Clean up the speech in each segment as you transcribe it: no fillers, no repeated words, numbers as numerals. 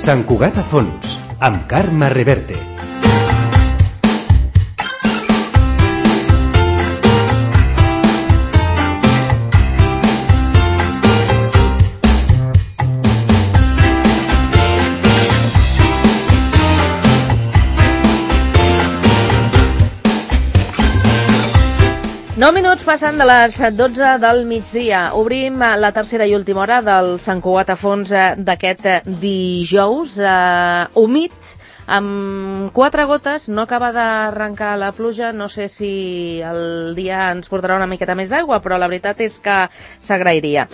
Sant Cugat a fons, amb Carme Reverte. Nou minuts passant de les 12 del migdia. Obrim la tercera i última hora del Sant Cugat a fons d'aquest dijous. Humit, amb 4 gotes, no acaba d'arrencar la pluja. No sé si el dia ens portarà una miqueta més d'aigua, però la veritat és que s'agrairia.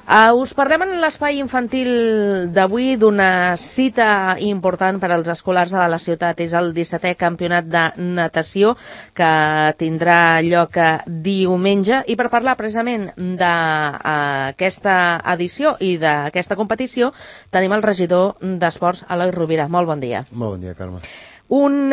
Us parlem en l'espai infantil d'avui d'una cita important per als escolars de la ciutat. És el 17è campionat de natació que tindrà lloc diumenge. I per parlar precisament d'aquesta edició i d'aquesta competició tenim el regidor d'Esports, Eloi Rovira. Molt bon dia. Molt bon dia, Carme. Un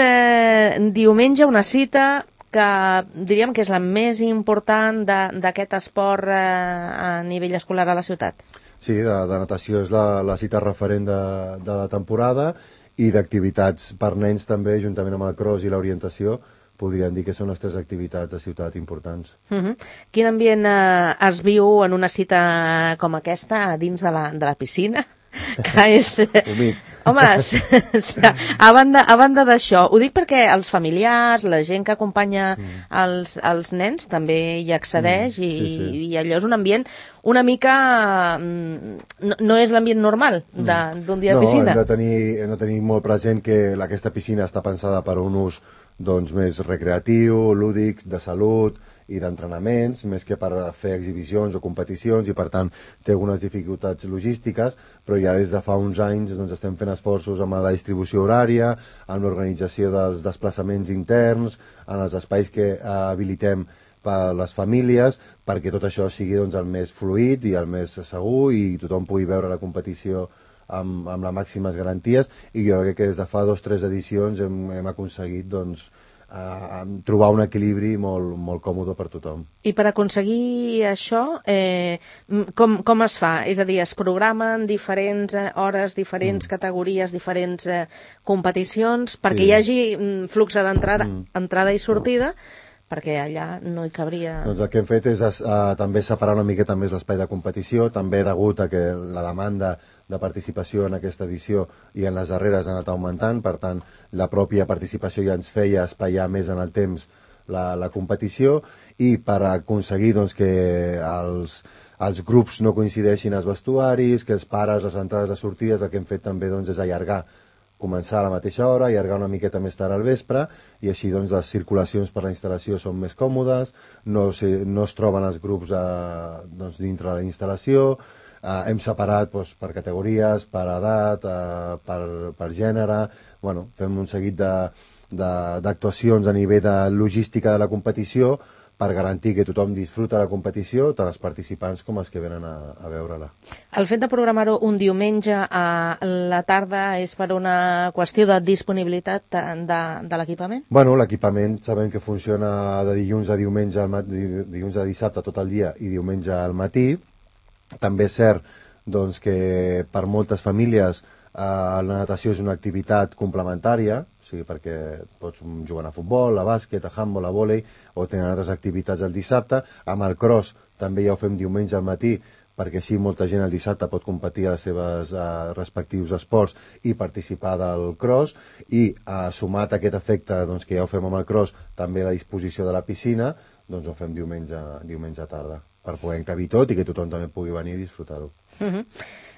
diumenge, una cita que diríem que és la més important d'aquest esport a nivell escolar a la ciutat. Sí, de natació és la cita referent de la temporada i d'activitats per nens també, juntament amb el cross i l'orientació, podríem dir que són les 3 activitats de ciutat importants. Quin ambient es viu en una cita com aquesta dins de la piscina? Que és... Humit. Home, a banda d'això, ho dic perquè els familiars, la gent que acompanya els nens també hi accedeix i allò és un ambient una mica... No és l'ambient normal d'un dia de piscina. No, hem de tenir molt present que aquesta piscina està pensada per un ús més recreatiu, lúdic, de salut i d'entrenaments, més que per fer exhibicions o competicions, i per tant té algunes dificultats logístiques, però ja des de fa uns anys estem fent esforços amb la distribució horària, amb l'organització dels desplaçaments interns, en els espais que habilitem per a les famílies, perquè tot això sigui el més fluid i el més segur i tothom pugui veure la competició amb les màximes garanties, i jo crec que des de fa 2 o 3 edicions hem aconseguit trobar un equilibri molt còmode per tothom. I per aconseguir això, com es fa? És a dir, es programen diferents hores, diferents categories, diferents competicions, perquè hi hagi flux d'entrada i sortida, perquè allà no hi cabria... Doncs el que hem fet és també separar una miqueta més l'espai de competició, també degut a que la demanda de participació en aquesta edició i en les darreres ha anat augmentant, per tant la pròpia participació ja ens feia espaiar més en el temps la competició, i per aconseguir que els grups no coincideixin als vestuaris, que els pares, les entrades i sortides, el que hem fet també és allargar, començar a la mateixa hora, allargar una miqueta més tard al vespre, i així les circulacions per la instal·lació són més còmodes, no es troben els grups dintre la instal·lació. Hem separat per categories, per edat, per gènere. Fem un seguit d'actuacions a nivell de logística de la competició per garantir que tothom disfruta la competició, tant els participants com els que venen a veure-la. El fet de programar-ho un diumenge a la tarda és per una qüestió de disponibilitat de l'equipament? L'equipament sabem que funciona de dilluns a diumenge, dilluns a dissabte tot el dia i diumenge al matí. També és cert que per moltes famílies la natació és una activitat complementària, perquè pots jugar a futbol, a bàsquet, a handbol, a vòlei, o tenen altres activitats el dissabte. Amb el cross també ja ho fem diumenge al matí, perquè així molta gent el dissabte pot competir als seus respectius esports i participar del cross, i sumat a aquest efecte que ja ho fem amb el cross, també la disposició de la piscina, ho fem diumenge a tarda, per poder encabir tot i que tothom també pugui venir i disfrutar-ho.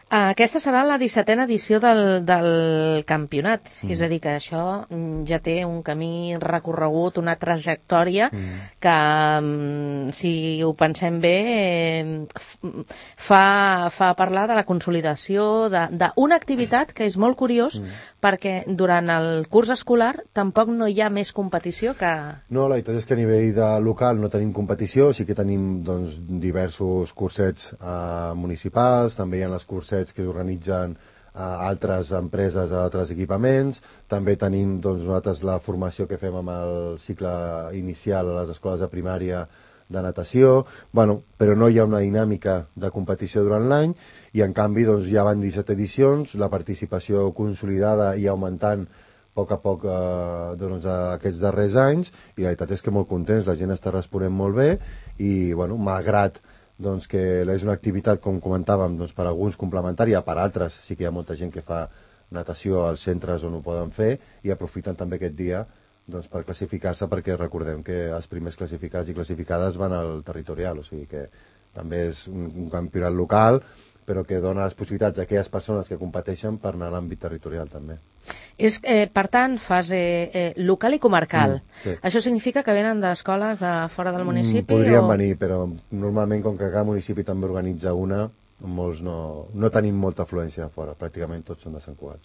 Aquesta serà la 17a edició del campionat, és a dir, que això ja té un camí recorregut, una trajectòria que, si ho pensem bé, fa parlar de la consolidació d'una activitat que és molt curiós, perquè durant el curs escolar tampoc no hi ha més competició que... No, la veritat és que a nivell local no tenim competició, sí que tenim diversos cursets municipals, també hi ha les cursets que organitzen altres empreses, altres equipaments. També tenim nosaltres la formació que fem amb el cicle inicial a les escoles de primària de natació, bueno, però no hi ha una dinàmica de competició durant l'any i en canvi doncs, ja van 17 edicions, la participació consolidada i augmentant a poc doncs, aquests darrers anys i la veritat és que molt contents, la gent està responent molt bé i bueno, malgrat doncs, que és una activitat, com comentàvem, doncs, per alguns complementària, per altres sí que hi ha molta gent que fa natació als centres on ho poden fer i aprofiten també aquest dia doncs, per classificar-se, perquè recordem que els primers classificats i classificades van al territorial, o sigui que també és un campionat local però que dona les possibilitats a aquelles persones que competeixen per anar a l'àmbit territorial també. És, per tant, fase local i comarcal. Sí. Això significa que venen d'escoles de fora del municipi? Podrien venir, però normalment com que cada municipi també organitza una, molts no tenim molta afluència de fora, pràcticament tots són de Sant Cugat.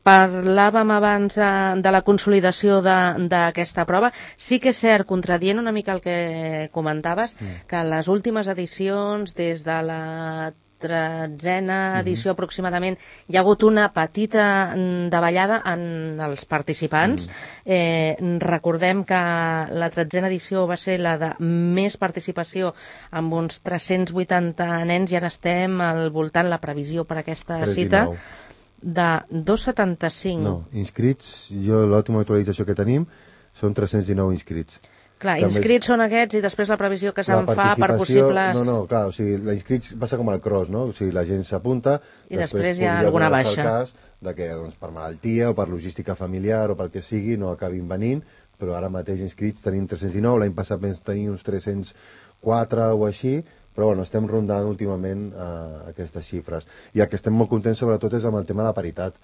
Parlàvem abans de la consolidació d'aquesta prova. Sí que és cert, contradient una mica el que comentaves, que les últimes edicions, des de la 13a edició aproximadament, hi ha hagut una petita davallada en els participants. Recordem que la 13a edició va ser la de més participació, amb uns 380 nens, i ara estem al voltant, la previsió per aquesta cita, de 275. No, inscrits, l'última actualització que tenim són 319 inscrits. Clar, inscrits són aquests i després la previsió que se'n fa per possibles... No, clar, o sigui, l'inscrits passa com el cross, no? O sigui, la gent s'apunta... I després hi ha alguna baixa. El cas de que doncs, per malaltia o per logística familiar o pel que sigui no acabin venint, però ara mateix inscrits tenim 319, l'any passat vam tenir uns 304 o així, però bueno, estem rondant últimament aquestes xifres. I el que estem molt contents sobretot és amb el tema de la paritat.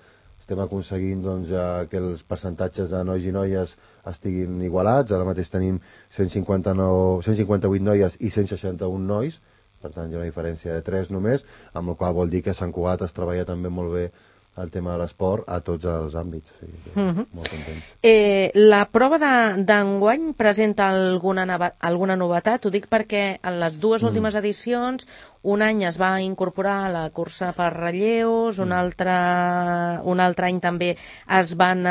Estem aconseguint doncs, que els percentatges de nois i noies estiguin igualats. Ara mateix tenim 158 noies i 161 nois, per tant hi ha una diferència de 3 només, amb la qual vol dir que a Sant Cugat es treballa també molt bé el tema de l'esport a tots els àmbits. O sigui, molt contents. La prova d'enguany presenta alguna novetat? Ho dic perquè en les dues últimes edicions un any es va incorporar la cursa per relleus, un altre any també es van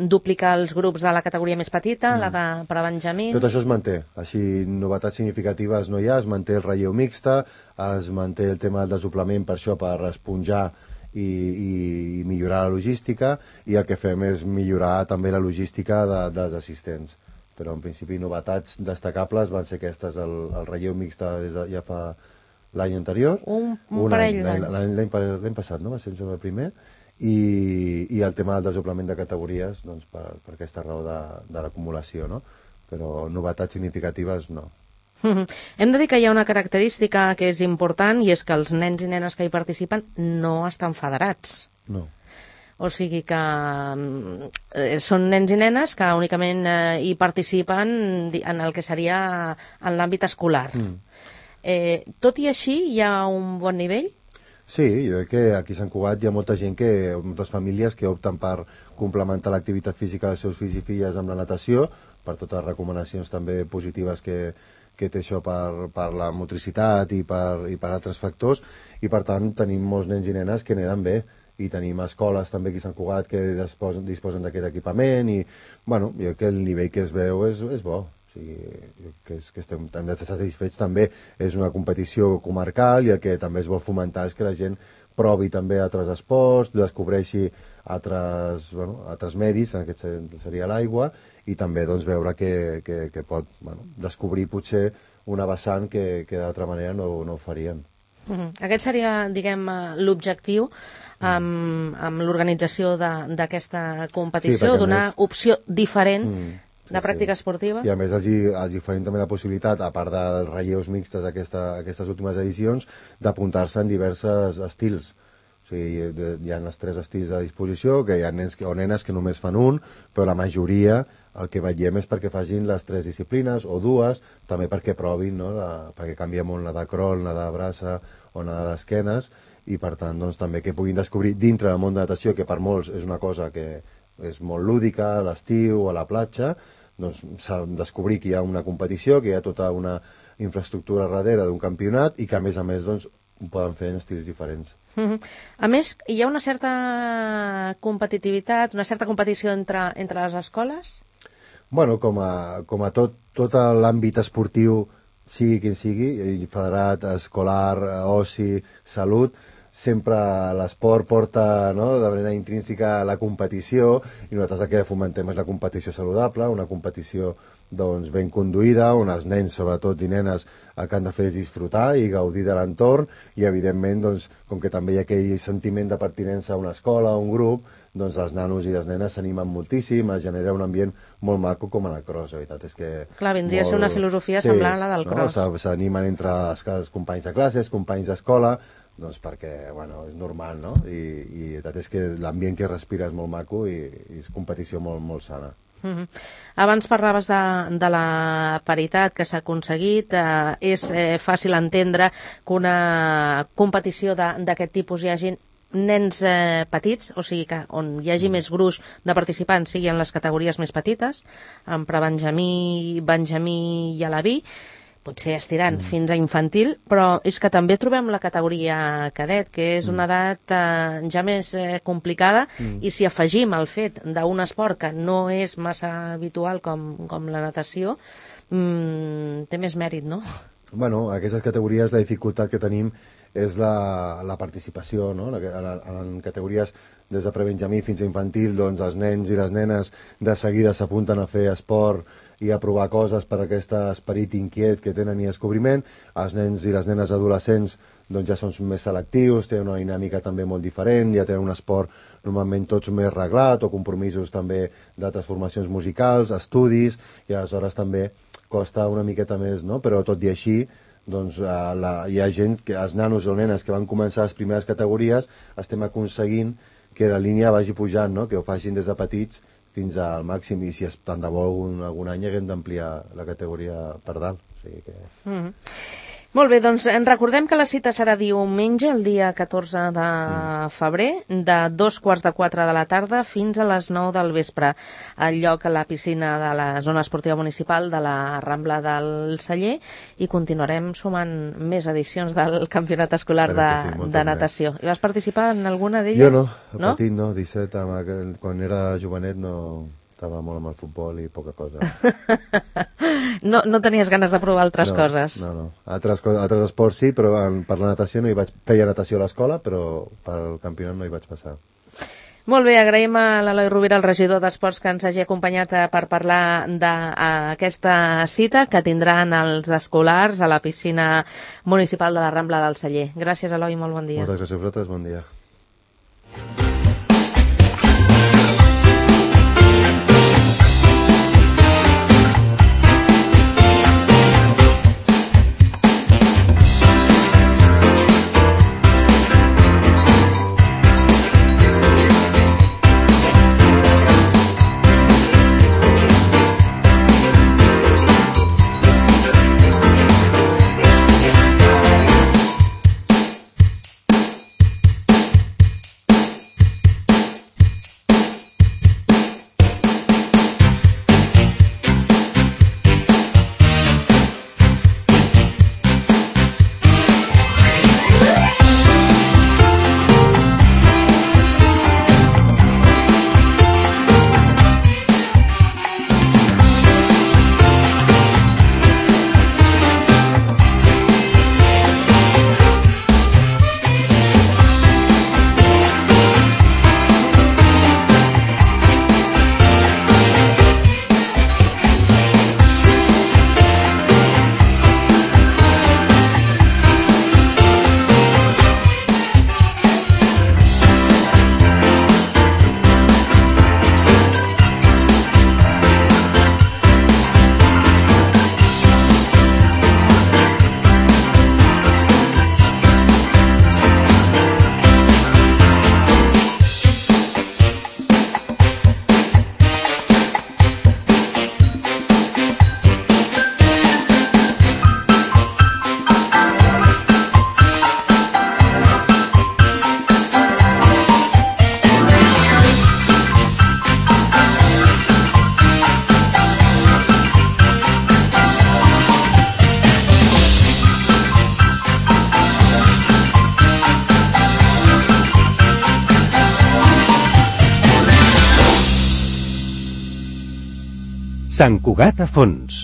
duplicar els grups de la categoria més petita, la de per a benjamins. Tot això es manté. Així, novetats significatives no hi ha, es manté el relleu mixta, es manté el tema del desoblament per això, per esponjar i millorar la logística, i el que fem és millorar també la logística dels assistents. Però en principi novetats destacables van ser aquestes, el relleu mixta ja fa l'any anterior, un parell d'anys, l'any passat, no? Va ser el primer, i el tema del desoblament de categories doncs, per aquesta raó de l'acumulació, no? Però novetats significatives no. Hem de dir que hi ha una característica que és important, i és que els nens i nenes que hi participen no estan federats. No. O sigui que són nens i nenes que únicament hi participen en el que seria en l'àmbit escolar. Tot i així, hi ha un bon nivell? Sí, jo crec que aquí a Sant Cugat hi ha molta gent, moltes famílies que opten per complementar l'activitat física dels seus fills i filles amb la natació, per totes les recomanacions també positives que té això per la motricitat i per altres factors, i per tant tenim molts nens i nenes que n'eden bé, i tenim escoles també aquí a Sant Cugat que disposen d'aquest equipament, i bueno, jo crec que el nivell que es veu és bo. O sigui, que estem satisfets també. És una competició comarcal i el que també es vol fomentar és que la gent provi també altres esports, descobreixi altres medis, en aquest seria l'aigua, i també doncs, veure que pot descobrir potser una vessant que d'altra manera no ho farien. Aquest seria, diguem, l'objectiu amb l'organització d'aquesta competició, donar opció diferent de pràctica esportiva. I a més els oferim també la possibilitat, a part dels relleus mixtes aquestes últimes edicions, d'apuntar-se en diversos estils. O sigui, hi ha els 3 estils a disposició, que hi ha nens o nenes que només fan un, però la majoria el que veiem és perquè facin les 3 disciplines o 2, també perquè provin, no? Perquè canvia molt la de crawl, la de braça o la d'esquenes, i per tant doncs, també que puguin descobrir dintre del món de natació, que per molts és una cosa que és molt lúdica, a l'estiu, a la platja, doncs descobrir que hi ha una competició, que hi ha tota una infraestructura darrere d'un campionat i que a més doncs, ho poden fer en estils diferents. A més, hi ha una certa competitivitat, una certa competició entre les escoles? Bueno, com a tot l'àmbit esportiu, sigui quin sigui, federat, escolar, oci, salut, sempre l'esport porta, no?, de manera intrínseca la competició, i nosaltres el que fomentem és la competició saludable, una competició doncs, ben conduïda, on els nens, sobretot, i nenes, el que han de fer és disfrutar i gaudir de l'entorn, i evidentment, doncs, com que també hi ha aquell sentiment de pertinença a una escola, a un grup, doncs els nanos i les nenes s'animen moltíssim, es genera un ambient molt maco com en el cross, la veritat és que... Clar, vindria a ser una filosofia semblant a la del cross. S'animen entre els companys de classes, companys d'escola, doncs perquè, bueno, és normal, no? I la veritat és que l'ambient que respira és molt maco i és competició molt, molt sana. Abans parlaves de la paritat que s'ha aconseguit. És fàcil entendre que una competició d'aquest tipus hi hagi nens petits, o sigui que on hi hagi més gruix de participants sigui en les categories més petites, en prebenjamí, benjamí i alaví, potser estirant fins a infantil, però és que també trobem la categoria cadet, que és una edat ja més complicada, i si afegim el fet d'un esport que no és massa habitual com la natació, té més mèrit, no? Bueno, aquestes categories, la dificultat que tenim és la participació, no? En categories des de prebenjamí fins a infantil, doncs els nens i les nenes de seguida s'apunten a fer esport i a provar coses per aquest esperit inquiet que tenen i descobriment. Els nens i les nenes adolescents doncs ja són més selectius, tenen una dinàmica també molt diferent, ja tenen un esport normalment tots més reglat, o compromisos també d'altres formacions musicals, estudis, i aleshores també costa una miqueta més, no? Però tot i així, doncs hi ha gent, els nanos o nenes que van començar les primeres categories, estem aconseguint que la línia vagi pujant, no? Que ho facin des de petits fins al màxim, i si tant de bo algun any haguem d'ampliar la categoria per dalt. O sigui que... Molt bé, doncs recordem que la cita serà diumenge, el dia 14 de febrer, de 3:45 de la tarda fins a les 9 del vespre, al lloc a la piscina de la zona esportiva municipal de la Rambla del Celler, i continuarem sumant més edicions del campionat escolar de natació. I vas participar en alguna d'elles? Jo no, petit no, 17, quan era jovenet no... Estava molt amb el futbol i poca cosa. No tenies ganes de provar altres coses? No. Altres esports sí, però per la natació no hi vaig... Feia natació a l'escola, però pel campionat no hi vaig passar. Molt bé, agraïm a l'Eloi Rovira, el regidor d'Esports, que ens hagi acompanyat per parlar d'aquesta cita que tindran els escolars a la piscina municipal de la Rambla del Celler. Gràcies, Eloi, molt bon dia. Moltes gràcies a vosaltres, bon dia. Sant Cugat a fons.